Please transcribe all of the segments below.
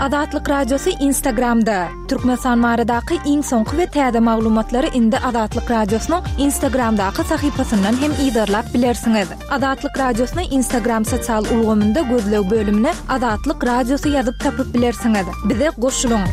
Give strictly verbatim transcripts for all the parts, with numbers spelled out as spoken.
Azatlyk Radiosy Instagramda. Türkmenistan baradaky iň soňky we täze maglumatlary indi Azatlyk Radiosynyň Instagramdaky sahypasyndan hem yzarlap bilersiňiz. Azatlyk Radiosyny Instagram sosial ulgamynda gözleg bölümine Azatlyk Radiosy ýazyp tapyp bilersiňiz. Bize goşulyň.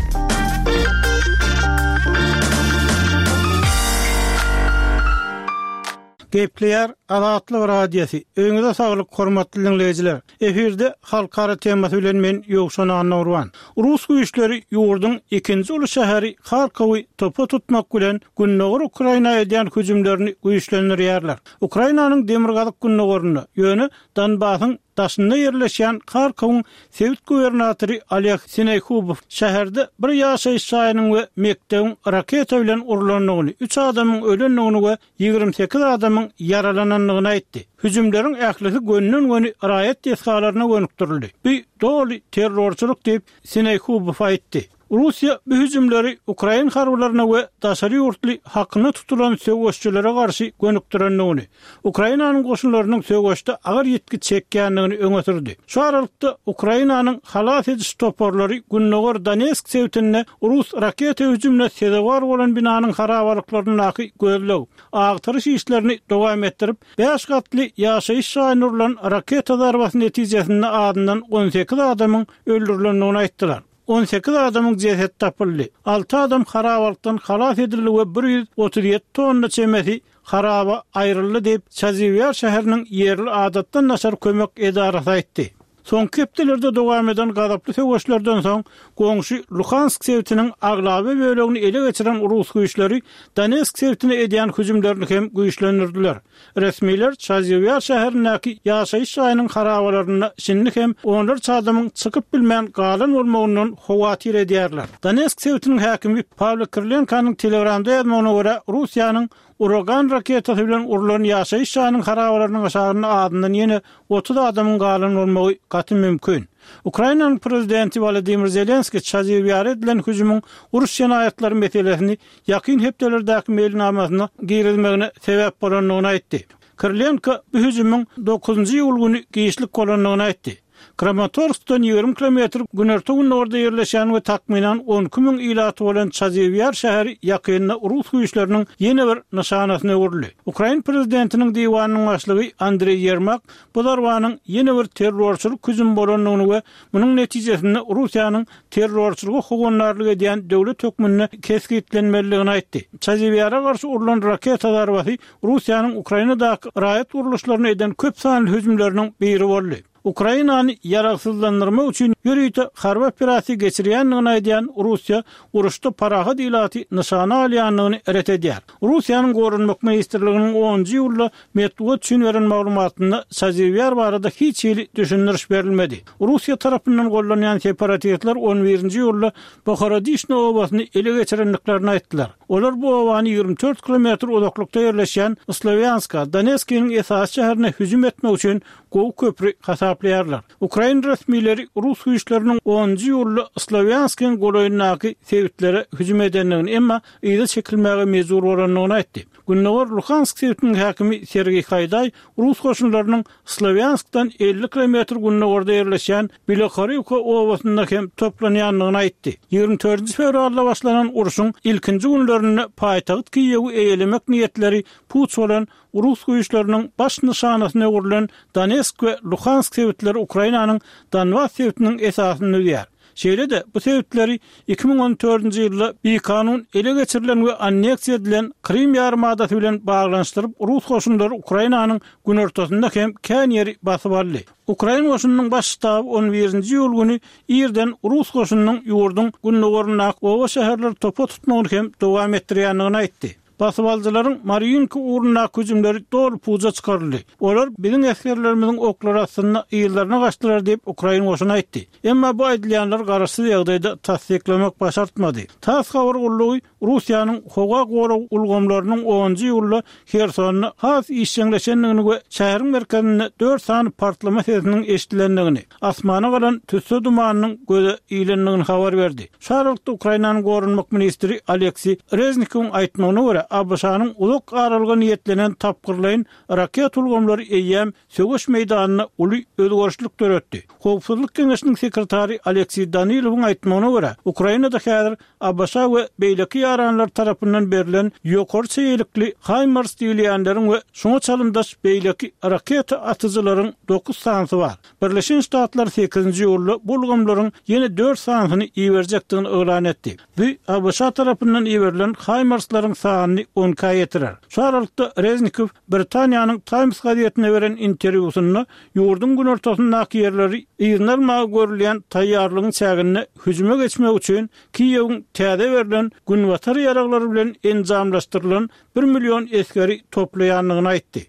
Gepleýär Azatlyk Radiosy. Öýüňize saglyk, hormatly diňleýjiler. Efirde halkara temasy bilen men Ýowşan Annagurban. Rus güýçleri ýurduň ikinji uly şäheri Harkowy topa tutmak bilen Gündogar Ukraina edýän hüjümlerini güýçlendirýärler. Ukrainanyň demirgazyk gündogarynda, ýöne Donbasyň daşynda ýerleşýän Harkowyň sebit gubernatory Oleg Sinehubow şäherde bir ýaşaýyş jaýynyň we mekdebiň raketa bilen urlandygyny, üç adamyň ölendigini we ýigrimi sekiz adamyň ýaralanandygyny aýtdy. Hüjümleriň ählisi gönden-göni raýat desgalaryna gönükdirildi. Bu doly terrorçylyk diýip, Sinehubow aýtdy. Russiýa bu hüjümleri ukrain harbylaryna we daşary ýurtly hakyna tutulan söweşçilere garşy gönükdirendigini, Ukrainanyň goşunlarynyň söweşde agyr ýitgi çekýändigini öňe sürdi. Şu aralykda Ukrainanyň halas ediş toparlary Gündogar Donetsk sebitinde rus raketa hüjümine sezewar bolan binanyň harabalyklaryndaky gözleg, agtaryş işlerini dowam etdirip, bäş gatly ýaşaýyş jaýyna urlan raketa zarbasy netijesinde azyndan on sekiz adamyň öldürilendigini aýtdylar. On sekiz adamyň jesedi tapyldy. Alty adam harabalykdan halas edildi we bir ýüz otuz ýedi tonna çemesi haraba aýryldy diýip, Çaziwýar şäheriniň ýerli adatdan daşary kömek edarasy aýtdy. Soňky hepdelerde dowam eden gazaply söweşlerden soň, goňşy Luhansk sebitiniň aglaba bölegini ele geçiren rus güýçleri Donetsk sebitine edýän hüjümlerini hem güýçlendirdiler. Resmiler Çaziwýar şäherindäki ýaşaýyş jaýynyň harabalarynda şindi hem onlarça adamyň çykyp bilmän galan bolmagyndan howatyr edýärler. Donetsk sebitiniň häkimi Pawlo Kirilenkonyň Telegramda ýazmagyna görä, Russiýanyň Uragan raketasy bilen urlan ýaşaýyş jaýynyň harabalarynyň aşagynda azyndan ýene otuz adamyň galan bolmagy gaty mümkin. Ukrainanyň prezidenti Wolodymyr Zelenskiý Çaziwýara edilen hüjümiň uruş jenaýatlary meselesini ýakyn hepdelerdäki meýilnamasyna girizmegine sebäp bolandygyny aýtdy. Kirilenko bu hüjümiň dokuzynjy iýul güni giçlik bolandygyny aýtdy. Kramatorskdan ýigrimi kilometr günorta-gündogarda ýerleşýän we takmynan on iki müň ilaty bolan Çaziwýar şäheri ýakynda rus güýçleriniň ýene bir nyşanasyna öwrüldi. Ukrain prezidentiniň diwanynyň başlygy Andreý Ýermak bu zarbanyň ýene bir terrorçylyk hüjümi bolandygyny we munuň netijesinde Russiýanyň terrorçylyga howandarlyk edýän döwlet hökmünde kesgitlenmelidigini aýtdy. Çaziwýara garşy urlan raketa zarbasy Russiýanyň Ukrainadaky raýat gurluşlaryna eden köp sanly hüjümleriniň biri boldy. Ukrainany ýaragsyzlandyrmak üçin ýörite harby operasiýa geçirýändigini aýdýan Russiýa uruşda parahat ilaty nyşana alýandygyny ret edýär. Russiýanyň Goranmak ministrliginiň onunjy iýulda metbugat üçin beren maglumatynda Çaziwýar barada hiç hili düşündiriş berilmedi. Russiýa tarapyndan gollanýan separatistler on birinji iýulda Bohorodişno obasyny ele geçirendiklerini aýtdylar. Olar bu obany ýigrimi dört kilometr uzaklykda ýerleşýän Slowýanska, Donetskiniň esasy şäherine hüjüm etmek üçin gowy köpri hasaplaýarlar. Ukrain resmileri rus güýçleriniň onunjy iýulda Slowýanskiň golaýyndaky sebitlere hüjüm edendigini, emma yza çekilmäge mejbur bolandygyny aýtdy. Gündogar Luhansk sebitiniň häkimi Sergeý Haýdaý rus goşunlarynyň Slowýanskdan elli kilometr gündogarda ýerleşýän Bilohorivka obasynda hem toplanýandygyny aýtdy. Ýigrimi dördünji fewralda başlanan urşuň ilkinji günlerinde paýtagt Kiýewi eýelemek niýetleri puç bolan rus güýçleriniň baş nyşanasyna öwrülen Donetsk we Luhansk sebitleri Ukrainanyň Donbas sebitiniň esasyny düzýär. Şeýle-de bu sebitleri iki müň on dördünji ýylda bikanun ele geçirilen we anneksiýa edilen Krym ýarymadasy bilen baglanyşdyryp, rus goşunlary Ukrainanyň günortasynda hem kän ýeri basyp aldy. Ukrain goşunynyň baş ştaby on birinji iýul güni irden rus goşunynyň ýurduň gündogaryndaky oba-şäherleri topa tutmagyny hem dowam etdirýändigini aýtdy. Basybalyjylaryň Marýinka ugrundaky hüjümleri doly puja çykaryldy. Olar biziň esgerlerimiziň oklary astynda yzlaryna gaçdylar diýip, ukrain goşuny aýtdy. Emma bu aýdylýanlary garaşsyz ýagdaýda tassyklamak başartmady. Tass habar gullugy Russiýanyň howa gorag ulgamlarynyň onunjy iýulda Hersonda has işjeňleşendigini we şäheriň merkezinde dört sany partlama sesiniň eşidilendigini, asmana galan tüsse dumanynyň göze ilendigini habar berdi. Şu aralykda Ukrainanyň goranmak ministri Aleksiý Reznikowyň aýtmagyna görä, A B Ş-nyň uzak aralyga niýetlenen tapgyrlaýyn raket ulgamlary eýýäm söweş meýdanynda uly özgerişlik döretdi. Howpsuzlyk Geňeşiniň sekretary Aleksiý Danilowyň aýtmagyna görä, Ukrainada häzir A B Ş we beýleki ýaranlar tarapyndan berlen ýokary çeýelikli HIMARS diýilýänleriň we şoňa çalymdaş beýleki raketa atyjylaryň dokuz sanysy bar. Birleşen Ştatlar sekizinji iýulda bu ulgamlaryň ýene dört sanysyny iberjekdigini yglan etdi. Bu A B Ş tarapyndan iberilen HIMARS-laryň sanyny on ikä ýetirer. Şu aralykda Reznikow Britaniýanyň Times gazetine beren interwýusynda ýurduň günortasyndaky ýerleri yzyna almaga görülýän taýýarlygyň çäginde hüjüme geçmek üçin Kiýewiň täze berlen günbatar ýaraglary bilen enjamlaşdyrylan bir million esgeri toplaýandygyny aýtdy.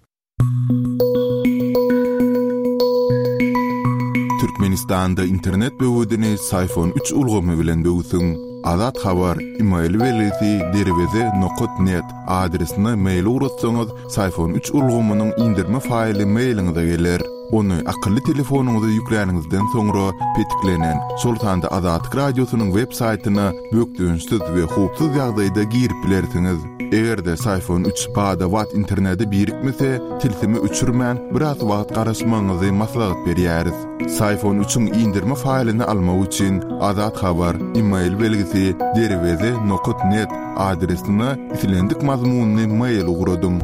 Türkmenistanda internet böwedini Syfon üç ulgamy bilen böwsüň. Azat Habar, e-mail belgisi derweze nokat net adresine mail ugratsaňyz, Syfon üç ulgamynyň indirme faýly mailiňize geler. Ony akylly telefonyňyza ýükläniňizden soňra petiklenen, şol sanda Azatlyk Radiosynyň web saýtyna bökdençsiz we howpsuz ýagdaýda girip bilersiňiz. Eger-de Syfon üç bada-bat internete birikmese, tilsimi öçürmän biraz wagt garaşmagyňyzy maslahat berýäris. Syfon üçiň indirme faýlyny almak üçin Azat Habar, e-mail belgisi derweze nokat net adresine islendik mazmunly mail ugradyň.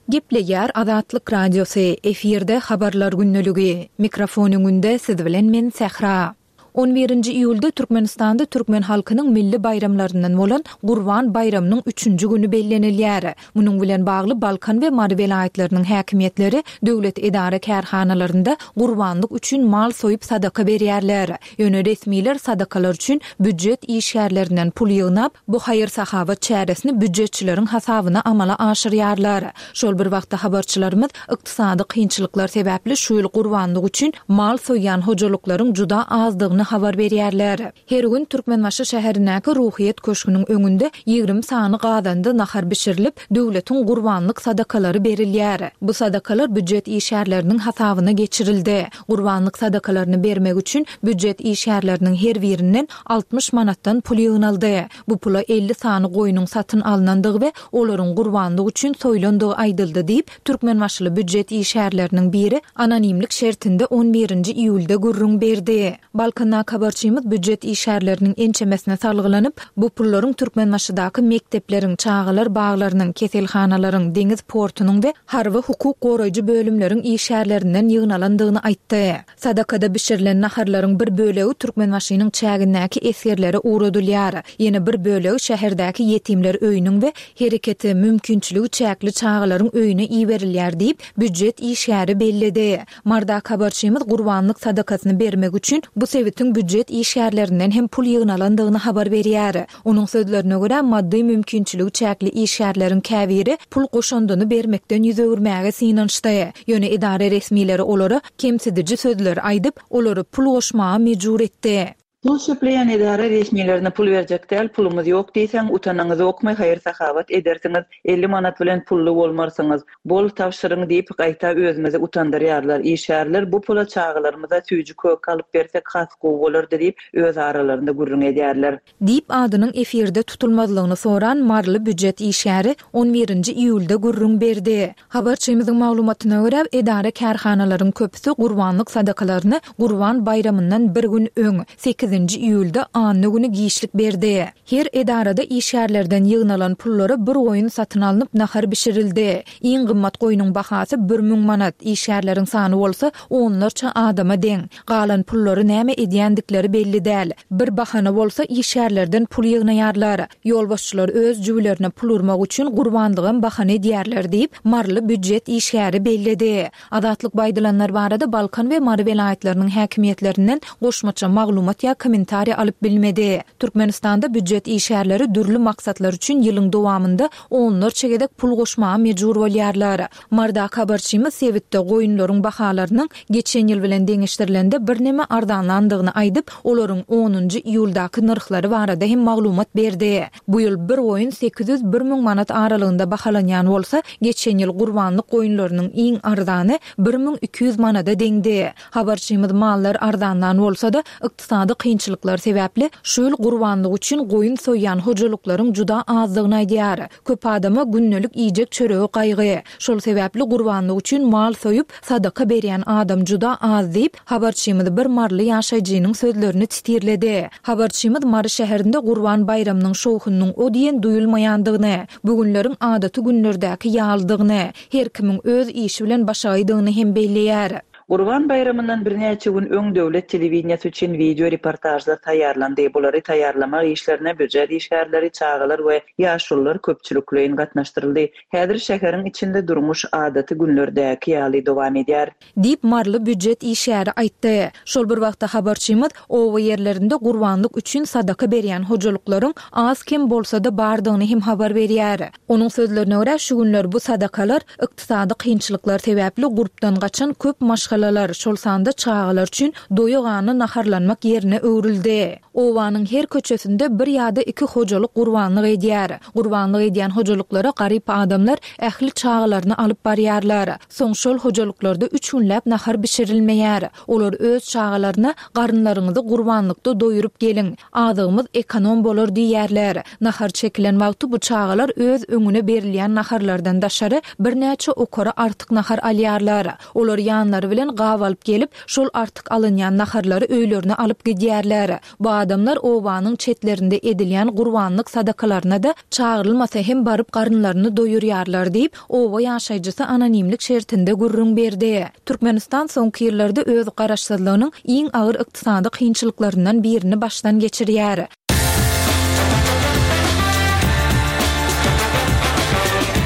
Gepleýär Azatlyk Radiosy, efirde habarlar gündeligi. Mikrofon öňünde siz bilen men Sähra. On birinji iýulda Türkmenistanda türkmen halkynyň milli baýramlaryndan bolan Gurban baýramynyň üçünji güni bellenilýär. Munuň bilen bagly Balkan we Mary welaýatlarynyň häkimiýetleri döwlet edara kärhanalarynda gurbanlyk üçin mal soýup sadaka berýärler. Ýöne resmiler sadakalar üçin býujet işgärlerinden pul ýygnap, bu haýyr-sahawat çäresini býujetçileriň hasabyna amala aşyrýarlar. Şol bir wagtda habarçylarymyz ykdysady kynçylyklar sebäpli şu ýyl gurbanlyk üçin mal soýýan hojalyklaryň juda azdygyny habar berýärler. Her gün Türkmenbaşy şäherindäki Ruhyýet köşgüniň öňünde ýigrimi sany gazanda nahar bişirilip, döwletiň gurbanlyk sadakalary berilýär. Bu sadakalar býujet işgärleriniň hasabyna geçirildi. Gurbanlyk sadakalaryny bermek üçin býujet işgärleriniň her birinden altmyş manatdan pul ýygnaldy. Bu pula elli sany goýnuň satyn alnandygy we olaryň gurbanlyk üçin soýlandygy aýdyldy diýip, Türkmenbaşyly býujet işgärleriniň biri anonimlik şertinde on birinji iýulda gürrüň berdi. Balkandaky habarçymyz býujet işgärleriniň ençemesine salgylanyp, bu pullaryň Türkmenbaşydaky mekdepleriň, çagalar baglarynyň, keselhanalaryň, deňiz portunyň we harby hukuk goraýjy bölümleriň işgärlerinden ýygnalandygyny aýtdy. Sadakada bişirilen naharlaryň bir bölegi Türkmenbaşynyň çägindäki esgerlere ugradylýar. Ýene bir bölegi şäherdäki ýetimler öýüniň we hereketi mümkinçiligi çäkli çagalaryň öýüne iberilýär diýip, býujet işgäri belledi. Mardak habarçymyz gurbanlyk sadakasyny bermek üçin bu sebitiň býujet işgärlerinden hem pul ýygnalandygyny habar berýär. Onuň sözlerine görä, maddy mümkinçiligi çäkli işgärleriň käbiri pul goşandyny bermekden ýüz öwürmäge synanyşdy. Ýöne edara resmileri olara kemsidiji sözler aýdyp, olary pul goşmaga mejbur etdi. Pul söpleýän edara resmilerine pul berjek däl, pulumyz ýok diýseň, utanaňyz ýokmy, haýyr sahawat edersiňiz, elli manat bilen pully bolmarsyňyz. Bol tabşyryň diýip gaýta özümizi utandyrýarlar. Işgärler bu pula çagalarymyza süýji kök alyp bersek has gowy bolardy diýip öz aralarynda gürrüň edýärler. Diýip adynyň efirde tutulmazlygyny soran Marly býujet işgäri on birinji iýulda gürrüň berdi. Habarçymyzyň maglumatyna görä, edara kärhanalaryň köpüsi gurbanlyk sadakalaryny Gurban baýramyndan bir gün öň, sekizinji iýulda anna güni giçlik berdi. Her edarada işgärlerden ýygnalan pullara bir goýun satyn alnyp nahar bişirildi. Iň gymmat goýnuň bahasy bir müň manat, işgärleriň sany bolsa onlarça adama deň. Galan pullary näme edýändikleri belli däl. Bir bahana bolsa işgärlerden pul ýygnaýarlar. Ýolbaşçylar öz jübülerine pul urmak üçin gurbanlygam bahana edýärler diýip, Marly býujet işgäri belledi. Azatlyk baýdylanlar barada Balkan we Mary welaýatlarynyň häkimiýetlerinden goşmaça maglumat ýa kommentariý alyp bilmedi. Türkmenistanda býujet işgärleri dürli maksatlar üçin ýylyň dowamynda onlarça gezek pul goşmaga mejbur bolýarlar. Marydaky habarçymyz sebitde goýunlaryň bahalarynyň geçen ýyl bilen deňeşdirilende birneme arzanlandygyny aýdyp, olaryň onunjy iýuldaky nyrhlary barada hem maglumat berdi. Bu ýyl bir goýun sekiz ýüz bir müň manat aralygynda bahalanýan bolsa, geçen ýyl gurbanlyk goýunlarynyň iň arzany bir müň iki ýüz manada deňdi. Habarçymyz mallar arzanlan bolsa-da, ykdysady kynçylyklar sebäpli şu ýyl gurbanlyk üçin goýun soýýan hojalyklaryň juda azdygyny aýdýar. Köp adama gündelik iýjek çöregi gaýgy. Şol sebäpli gurbanlyk üçin mal soýup, sadaka berýän adam juda az diýip, habarçymyz bir maryly ýaşaýjynyň sözlerini titirledi. Habarçymyz Mary şäherinde Gurban baýramynyň şowhunynyň o diýen duýulmaýandygyny, bu günleriň adaty günlerdäki ýalydygyny, her kimiň öz işi bilen başagaýdygyny hem belleýär. Gurban baýramyndan birnäçe gün öň döwlet telewideniýesi üçin wideo reportajlar taýýarlandy. Bulary taýýarlamak işlerine býujet işgärleri, çagalar we ýaşulular köpçülikleýin gatnaşdyryldy. Häzir şäheriň içinde durmuş adaty günlerdäki ýaly dowam edýär. Diýip maryly býujet işgäri aýtdy. Şol bir wagtda habarçymyz oba ýerlerinde gurbanlyk üçin sadaka berýän hojalyklaryň az kem bolsa-da bardygyny hem habar berýär. Onuň sözlerine görä şu günler bu sadakalar ykdysady kynçylyklar sebäpli gurpdan gaçan köp maşgalalar, şol sanda çagalar üçin doýugany naharlanmak ýerine öwrüldi. Obanyň her köçesinde bir ýa-da iki hojalyk gurbanlyk edýär. Gurbanlyk edýän hojalyklara garyp adamlar ähli çagalaryny alyp barýarlar. Soň şol hojalyklarda üç günläp nahar bişirilmeýär. Olar öz çagalaryna garynlaryňyzy gurbanlykda doýurup geliň, azygymyz ekonom bolar diýýärler. Nahar çekilen wagty bu çagalar öz öňüne berilýän naharlardan daşary birnäçe okara artyk nahar alýarlar. Olar ýanlary bilen gap alyp gelip, şol artyk alynýan naharlary öýlerine alyp gidýärler. Bu adamlar obanyň çetlerinde edilýän gurbanlyk sadakalaryna da çagyrylmasa hem baryp garynlaryny doýurýarlar diýip, oba ýaşaýjysy anonimlik şertinde gürrüň berdi. Türkmenistan soňky ýyllarda öz garaşsyzlygynyň iň agyr ykdysady kynçylyklaryndan birini başdan geçirýär.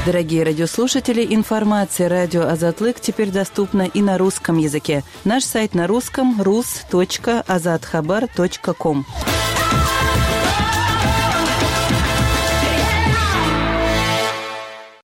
Дорогие радиослушатели, информация радио Азатлык теперь доступна и на русском языке. Наш сайт на русском рус точка азатхабар точка ком.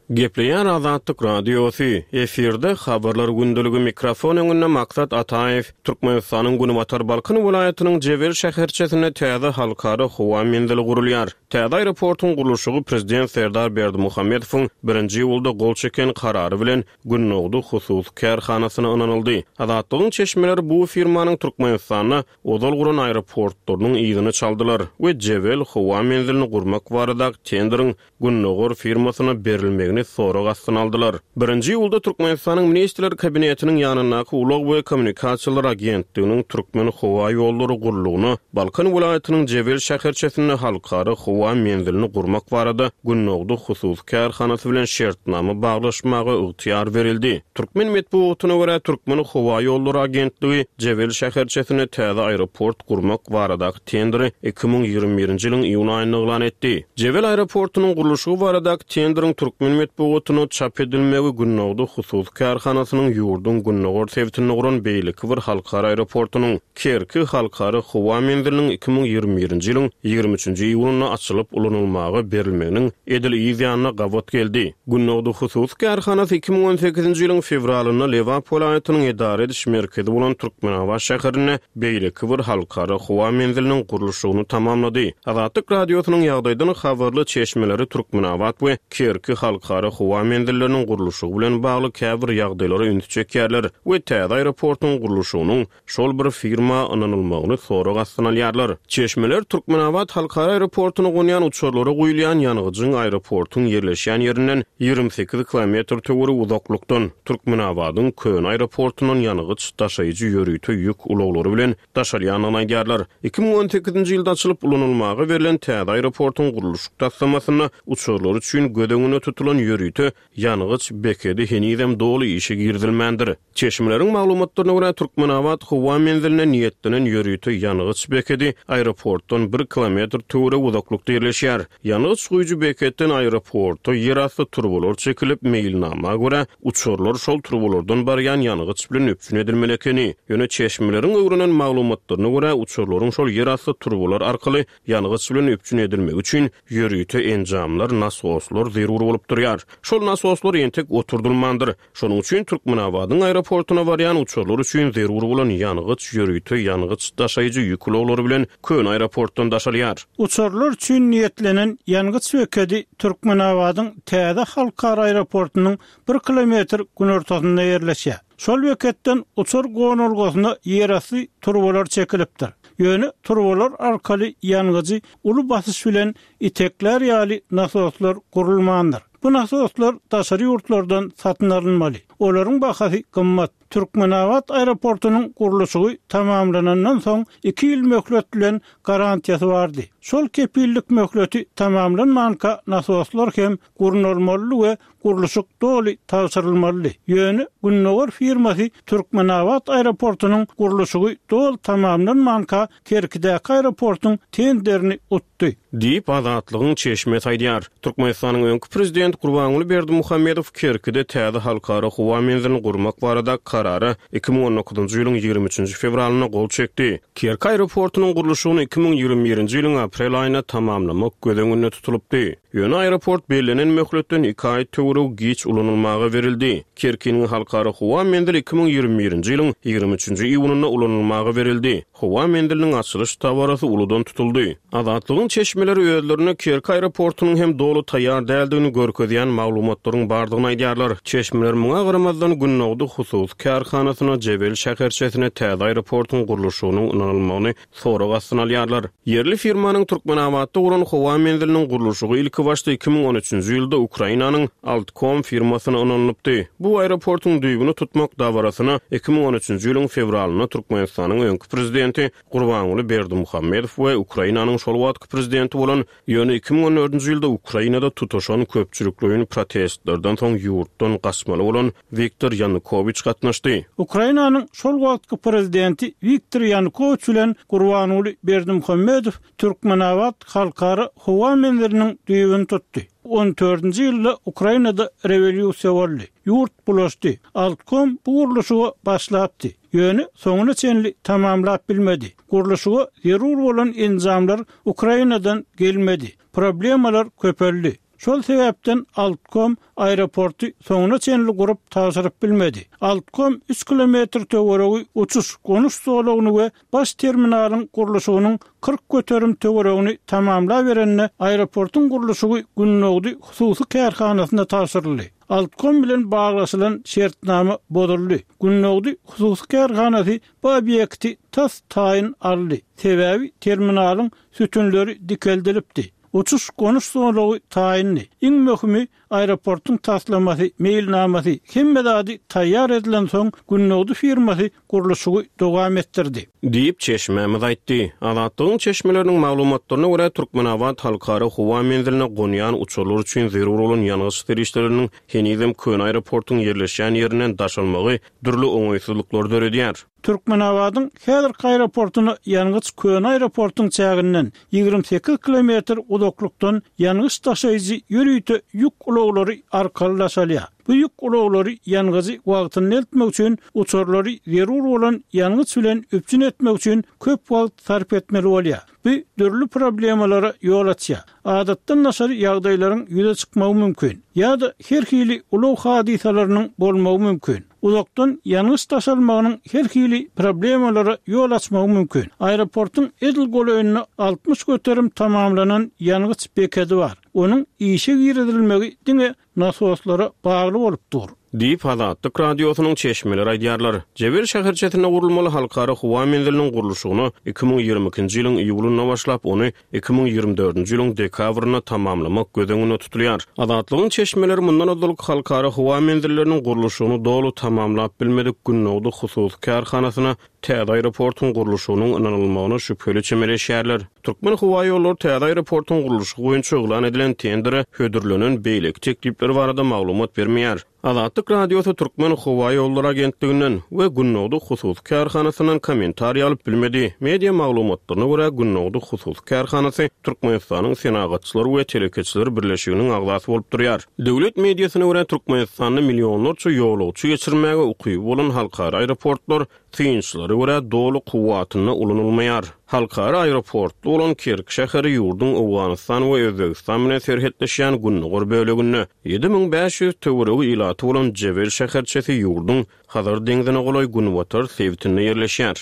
Gepleýän Azatlyk radiosy efirde habarlar gündeligi mikrofon öňünde Maksat Ataýew Türkmenistanyň Günbatar Balkan welaýatynyň Jebel şäherçesinde täze halkara howa menzili gurulýar. Täze aeroportuň gurluşygy prezident Serdar Berdimuhamedowyň birinji iýulda gol çeken karary bilen Günnogdy hususy kärhanasyna ynanyldy. Azatlygyň çeşmeleri bu firmanyň Türkmenistanda ozal guran aeroportlarynyň yzyny çaldylar we Jebel howa menzilini gurmak barada tenderiň Gündogar firmasyna berilmegini sorag astyna aldylar. Birinji iýulda Türkmenistanyň Ministrler Kabinetiniň ýanyndaky Ulag we Kommunikasiýalar Agentliginiň Türkmen howa ýollary gurlugyna Balkan welaýatynyň Jebel şäherçesinde halkara howa menzilini gurmak barada Günnogdy hususy kärhanasy bilen şertnama baglaşmaga ygtyýar berildi. Türkmen metbugatyna görä Türkmen howa ýollary agentligi Jebel şäherçesinde täze aeroport gurmak baradaky tenderi iki müň ýigrimi birinji ýylyň iýun aýynda yglan etdi. Jebel aeroportunyň gurluşygy baradaky tenderiň Türkmen metbugatyna çap edilmegi Günnogdy hususy kärhanasynyň ýurduň Gündogar sebitinde guran beýleki bir halkara aeroportunyň Kerki halkara howa menziliniň iki müň ýigrimi birinji ýylyň ýigrimi üçünji iýunynda açylyp ulanylmaga berilmeginiň edil yz ýanyna gabat geldi. Günnogdy hususy kärhanasy iki müň on sekizinji ýylyň fewralynda Lebap welaýatynyň edara ediş merkezi bolan Türkmenabat şäherinde beýleki bir halkara howa menziliniň gurluşygyny tamamlady. Azatlyk radiosynyň ýagdaýdan habarly çeşmeleri Türkmenabat we Kerki halkara howa menzilleriniň gurluşygy bilen bagly käbir ýagdaýlara üns çekýärler we täze aeroportuň gurluşygynyň şol bir firma ynanylmagyny sorag astyna alýarlar. Çeşmeler Türkmenabat halkara aeroportuny gonýan uçarlara guýulýan ýangyjyň aeroportuň ýerleşýän ýerinden ýigrimi sekiz kilometr töweregi uzaklykdan Türkmenabadyň Köne aeroportundan ýangyç daşaýjy ýörite ýük ulaglary bilen daşalýandygyny aýdýarlar. Iki müň on sekizinji ýylda açylyp ulanylmaga berlen täze aeroportuň gurluşyk taslamasynda uçarlar üçin göz öňüne tutulan ýörite ýangyç bekedi henizem doly işe girizilmändir. Çeşmeleriň maglumatlaryna görä Türkmenabat howa menziline niýetlenen ýörite ýangyç bekedi aeroportdan bir kilometr töweregi uzaklykda ýerleşýär. Ýangyç guýujy beketden aeroporta ýerasty turbalar çekilip meýilnama görä uçarlar şol turbalardan barýan ýangyç bilen üpjün edilmeli ekeni. Ýöne çeşmeleriň öwrenen maglumatlaryna görä uçarlaryň şol ýerasty turbalar arkaly ýangyç bilen üpjün edilmegi üçin ýörite enjamlar, nasoslar zerur bolup durýar. Şol nasoslar entek oturdylmandyr. Şonuň üçin Türkmenabadyň aeroportuna barýan uçarlar üçin zerur bolan ýangyç ýörite ýangyç daşaýjy ýük ulaglary bilen Köne aeroportdan daşalýar. Uçarlar üçin niýetlenen ýangyç bekedi Türkmenabadyň täze halkara aeroportunyň bir kilometr günortasynda ýerleşýär. Şol beketden uçar gonalgasyna ýerasty turbalar çekilipdir. Ýöne turbalar arkaly ýangyjy uly basyş bilen itekler ýaly nasoslar gurulmandyr. Bu nasoslar daşary ýurtlardan satyn alynmaly. Olaryň bahasy gymmat. Türkmenabat aeroportunyň gurluşygy tamamlanandan soň iki ýyl möhlet bilen garantiýasy bardy. Şol kepillik möhleti tamamlanmanka nasoslar hem gurnalmaly we gurluşyk doly tabşyrylmaly. Ýöne Gündogar firmasy Türkmenabat aeroportunyň gurluşygy doly tamamlanmanka Kerkidäki aeroportuň tenderini utdy. Diýip Azatlygyň çeşmesi aýdýar. Türkmenistanyň öňki prezident Gurbanguly Berdimuhamedow Kerkide täze halkara howa menzilini gurmak barada karara iki müň on dokuzynjy ýylyň ýigrimi üçünji fewralynda gol çekdi. Kerki aeroportunyň gurluşygyny iki müň ýigrimi birinji ýylyň aprel aýynda tamamlamak göz öňünde tutulypdy. Ýöne aeroport bellenen möhletden iki aý töweregi giç ulanylmaga berildi. Kerkiniň halkara howa menzili iki müň ýigrimi birinji ýylyň ýigrimi üçünji iýunynda ulanylmaga berildi. Howa menziliniň açylyş dabarasy uludan tutuldy. Azatlygyň çeşmeleri özlerine Kerki aeroportunyň hem doly taýýar däldigini görkezýän maglumatlaryň bardygyny aýdýarlar. Çeşmeler muňa garamazdan Gündogdy hususy kärhanasyna Jebel şäherçesine täze aeroportuň gurluşygynyň ynanylmagyny sorag astyna alýarlar. Ýerli firmanyň Türkmenabatda guran howa menziliniň gurluşygy ilki başda iki müň on üçünji ýylda Ukrainanyň Altcom firmasyna ynanylypdy. Bu aeroportuň düýbüni tutmak dabarasyna iki müň on üçünji ýylyň fewralynda Türkmenistanyň öňki prezidenti Gurbanguly Berdimuhamedow we Ukrainanyň şol wagtky prezidenti bolan ýöne iki müň on dördünji ýylda Ukrainada tutaşan köpçülikleýin protestlerden soň ýurtdan gaçmaly bolan Wiktor Ýanukowiç gatnaşdy. Ukrainanyň şol wagtky prezidenti Wiktor Ýanukowiç bilen Gurbanguly Berdimuhamedow Türkmenabat halkara howa menziliniň düýbüni tutdy. On dördünji ýylda Ukrainada rewolýusiýa boldy. Ýurt bulaşdy. Altcom bu gurluşyga başlapdy. Ýöne soňuna çenli tamamlap bilmedi. Gurluşyga zerur bolan enjamlar Ukrainadan gelmedi. Problemalar köpeldi. Şol sebäpden Altcom aeroporty soňuna çenli gurup tabşyryp bilmedi. Altcom üç kilometr töweregi uçuş gonuş zolagyny we baş terminalyň gurluşygynyň kyrk göterim töweregini tamamlaberende aeroportuň gurluşygy Gündogdy hususy kärhanasyna tabşyryldy. Altcom bilen baglaşylan şertnama bozuldy. Gündogdy hususy kärhanasy bu obýekti tas taýyn aldy. Sebäbi terminalyň sütünleri dikeldilipdi. Uçuş gonuş zolagy taýyndy. Iň möhümi aeroportuň taslamasy, meýilnamasy hemme zady taýýar edilen soň Gündogdy firmasy gurluşygy dowam etdirdi. Diýip çeşmämiz aýtdy. Azatlygyň çeşmeleriniň maglumatlaryna görä Türkmenabat halkara howa menziline gonýan uçarlar üçin zerur bolan ýangyç serişdeleriniň henizem Köne aeroportuň ýerleşýän ýerinden daşalmagy dürli oňaýsyzlyklary döredýär. Türkmenabadyň häzirki aeroportuna ýangyç Köne aeroportuň çäginden ýigrimi sekiz kilometr uzaklykdan ýangyç daşaýjy ýörite ýük ulaglary arkaly daşalýar. Bu ýük ulaglary ýangyjy wagtynda eltmek üçin uçarlary zerur bolan ýangyç bilen üpjün etmek üçin köp wagt sarp etmeli bolýar. Bu dürli problemalara ýol açýar. Adatdan daşary ýagdaýlaryň ýüze çykmagy mümkin ýa-da her hili ulag hadysalarynyň bolmagy mümkin. Uzakdan ýangyç daşalmagynyň her hili problemalara ýol açmagy mümkin. Aeroportuň edil golaýynda altmyş göterim tamamlanan ýangyç bekedi bar. Onuň işe girizilmegi diňe nasoslara bagly bolup dur. Diýip Azatlyk radiosynyň çeşmeleri aýdýarlar. Jebel şäherçesinde gurulmaly halkara howa menziliniň gurluşygyna iki müň ýigrimi ikinji ýylyň iýulynda başlap, ony iki müň ýigrimi dördünji ýylyň dekabrynda tamamlamak göz öňünde tutulýar. Azatlygyň çeşmeleri mundan ozal halkara howa menzilleriniň gurluşygyny doly tamamlap bilmedik Gündogdy hususy kärhanasyna täze aeroportuň gurluşygynyň ynanylmagyna şübheli çemeleşýärler. Türkmenhowaýollary täze aeroportuň gurluşygy boýunça yglan edilen tendere hödürlenen beýleki teklipler barada maglumat bermeýär. Azatlyk Radiosy Türkmenhowaýollary agentliginden we Gündogdy hususy kärhanasyndan kommentariý alyp bilmedi. Media maglumatlaryna görä Gündogdy hususy kärhanasy Türkmenistanyň Senagatçylar we Telekeçiler birleşiginiň agzasy bolup durýar. Döwlet mediasyna görä Türkmenistanda millionlarça ýolagçy geçirmäge ukyby bolan halkara aeroportlar synçylara görä doly kuwwatynda ulanylmaýar. Halkara aeroportly bolan Kerk şäheri ýurduň Owganystan we Özbegistan bilen serhetleşýän Gündogar böleginde ýedi müň bäş ýüz töweregi ilaty bolan Jebel şäherçesi ýurduň Hazar deňzine golaý Günbatar sebitinde ýerleşýär.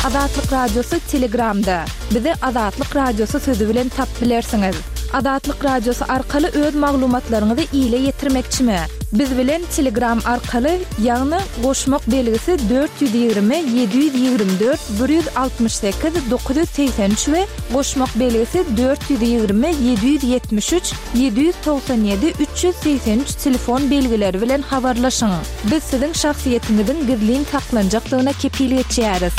Azatlyk Radiosy Telegramda. Bizi Azatlyk Radiosy sözi bilen tap bilersiňiz. Azatlyk Radiosy arkaly öz maglumatlaryňyzy ile ýetirmekçimi? Biz bilen Telegram arkaly, ýagny goşmak belgisi dört ýüz ýigrimi ýedi ýüz ýigrimi dört bir ýüz altmyş sekiz dokuz ýüz segsen üç we goşmak belgisi dört ýüz ýigrimi ýedi ýüz ýetmiş üç ýedi ýüz togsan ýedi üç ýüz segsen üç telefon belgileri bilen habarlaşyň. Biz siziň şahsyýetiňiziň gizlin saklanjakdygyna kepil geçýäris.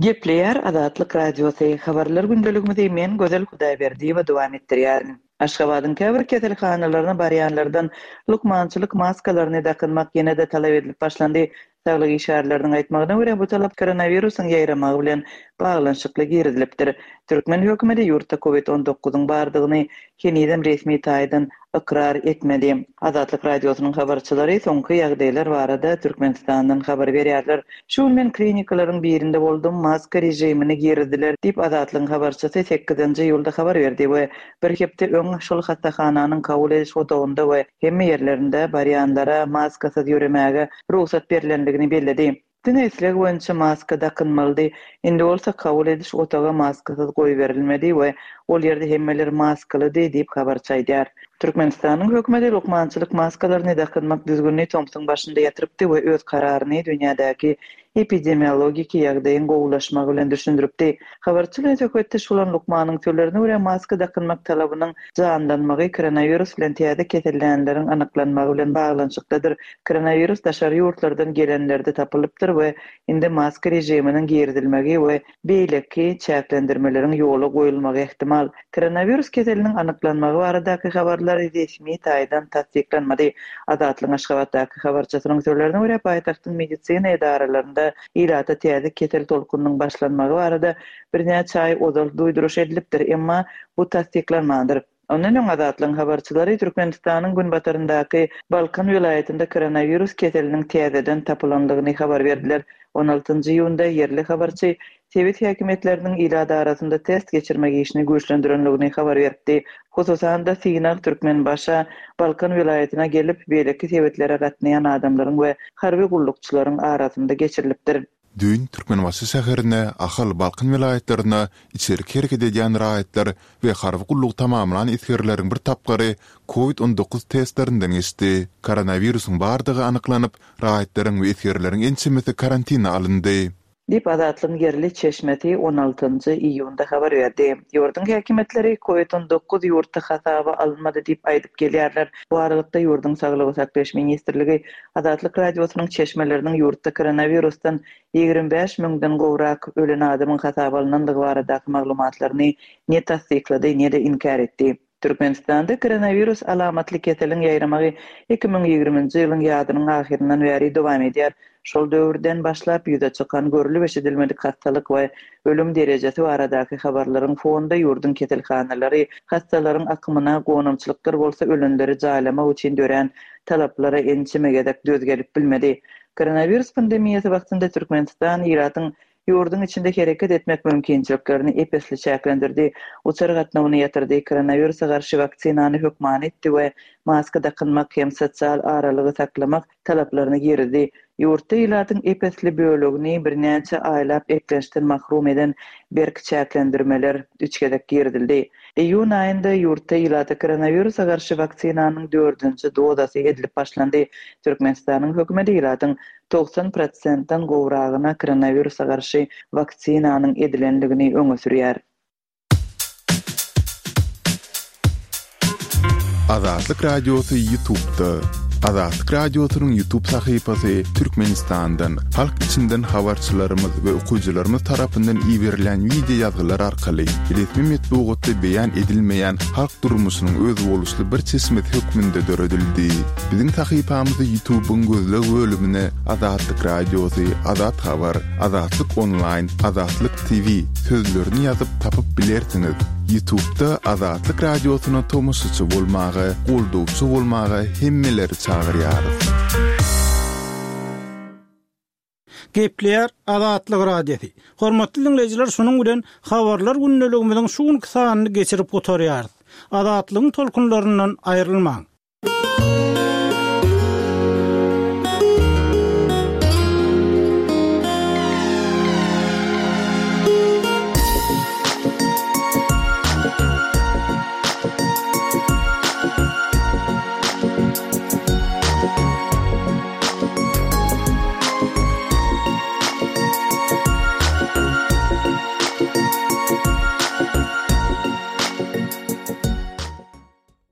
Gepleýär Azatlyk Radiosy. Habarlar gündeligimizi men Gözel Hudaýberdiýewa dowam etdirýärin. Aşgabadyň käbir keselhanalaryna barýanlardan lukmançylyk maskalaryny dakynmak ýene-de talap edilip başlandy. Saglyk işgärleriniň aýtmagyna görä bu talap koronawirusyň ýaýramagy bilen baglanyşykly girizilipdir. Türkmen hökümeti ýurtda COVID on dokuzyň bardygyny henizem resmi taýdan ykrar etmedi. Azatlyk Radiosynyň habarçylary soňky ýagdaýlar barada Türkmenistandan habar berýärler. Şu gün men klinikalaryň birinde boldum, maska rejimini girizdiler diýip Azatlygyň habarçysy sekizinji iýulda habar berdi we bir hepde öň şol hastahananyň kabul ediş otagynda we hemme ýerlerinde barýanlara maskasyz ýöremäge rugsat berlendigini belledi. Diňe isleg boýunça maska dakynmalydy. Indi bolsa kabul ediş otaga maskasyz goýberilmedi we ol ýerde hemmeler maskalydy diýip habarçy aýdýar. Türkmenistanyň hökümeti lukmançylyk maskalaryny dakynmak düzgünini tomsuň başynda ýatyrupdy we öz kararyny dünýädäki epidemiologiki ýagdaýyň gowulaşmagy bilen düşündiripdi. Habarçy bilen söhbetdeş bolan lukmanyň sözlerine görä maska dakynmak talabynyň janlanmagy koronawirus bilen täze kesellänleriň anyklanmagy bilen baglanyşykdadyr. Koronawirus daşary ýurtlardan gelenlerde tapylypdyr we indi maska rejiminiň girizilmegi we beýleki çäklendirmeleriň ýola goýulmagy ehtimal. Koronawirus keseliniň anyklanmagy baradaky habarlar resmi taýdan tassyklanmady. Azatlygyň Aşgabatdaky habarçysynyň sözlerine görä paýtagtyň medisina edaralarynda ilata täze kesel tolkunyň başlanmagy barada birnäçe aý ozal duýduryş edilipdir, emma bu tassyklanmandyr. Ondan öň Azatlygyň habarçylary Türkmenistanyň günbataryndaky Balkan welaýatynda koronawirus keseliniň täzeden tapylandygyny habar berdiler. on altynjy iýunda ýerli habarçy sebit häkimiýetleriniň ilat arasynda test geçirmek işini güýçlendirendigini habar berdi. Hususan-da synag Türkmenbaşa Balkan welaýatyna gelip beýleki sebitlere gatnaýan adamlaryň we harby gullukçylaryň arasynda geçirilipdir. Düýn Türkmenbaşy şäherine, Ahal, Balkan welaýatlaryna içerki hereket edýän raýatlar we harby gulluk tamamlan esgerleriň bir tapgyry COVID on dokuz testlerinden geçdi. Koronawirusyň bardygy anyklanyp, raýatlaryň we esgerleriň ençemesi karantina alyndy. Diýip Azatlygyň ýerli çeşmesi on altynjy iýunda habar berdi. Ýurduň häkimiýetleri COVID on dokuz ýurtda hasaba alynmady diýip aýdyp gelýärler. Bu aralykda ýurduň Saglygy saklaýyş ministrligi Azatlyk Radiosynyň çeşmeleriniň ýurtda koronavirusdan ýigrimi bäş müňden gowrak ölen adamyň hasaba alynandygy baradaky maglumatlaryny ne tassyklady, ne-de inkär etdi. Türkmenistanda koronavirus alamatly keseliň ýaýramagy iki müň ýigriminji ýylyň ýazynyň ahyryndan bäri dowam edýär. Şol döwürden başlap ýüze çykan görülip eşidilmedik hastalyk we ölüm derejesi baradaky habarlaryň fonunda ýurduň keselhanalary, hastalaryň akymyna gonamçylyklar bolsa ölenleri jaýlamak üçin dörän talaplara ençeme gezek döz gelip bilmedi. Koronavirus pandemiýasy wagtynda Türkmenistan ilatyň ýurduň içinde hereket etmek mümkinçiliklerini epesli çäklendirdi. Uçar gatnawyny ýatyrdy, koronawirusa garşy waksinany hökmany etdi we maska dakynmak hem sosial aralygy saklamak talaplaryny girizdi. Ýurtda ilatyň epesli bölegini birnäçe aýlap eklençden mahrum eden berk çäklendirmeler üç gezek girizildi. Iýun aýynda ýurtda ilata koronawirusa garşy waksinanyň dördünji dozasy edilip başlandy. Türkmenistanyň hökümeti ilatyň togsan prosentden gowragyna koronawirusa garşy waksinanyň edilenligini öňe sürýär. Azatlyk Radiosy YouTube'da. Azatlyk Radiosynyň YouTube sahypasy Türkmenistandan, halk içinden habarçylarymyz we okyjylarymyz tarapyndan iberilýän wideo ýazgylar arkaly resmi metbugatda beýan edilmeýän halk durmuşynyň özboluşly bir çeşmesi hökmünde döredildi. Biziň sahypamyzy YouTube-yň gözleg bölümine Azatlyk Radiosy, Azat Habar, Azatlyk Onlaýn, Azatlyk T V sözlerini ýazyp tapyp bilersiňiz. YouTube-da Azatlyk Radiosyna tomaşaçy bolmaga, goldawçy bolmaga hemmeleri çagyrýarys. Gepleýär Azatlyk Radiosy. Hormatly dinleýjiler, şunuň bilen habarlar gündeligimiziň şu günki sanyny geçirip gutarýarys. Azatlygyň tolkunlaryndan aýrylmaň.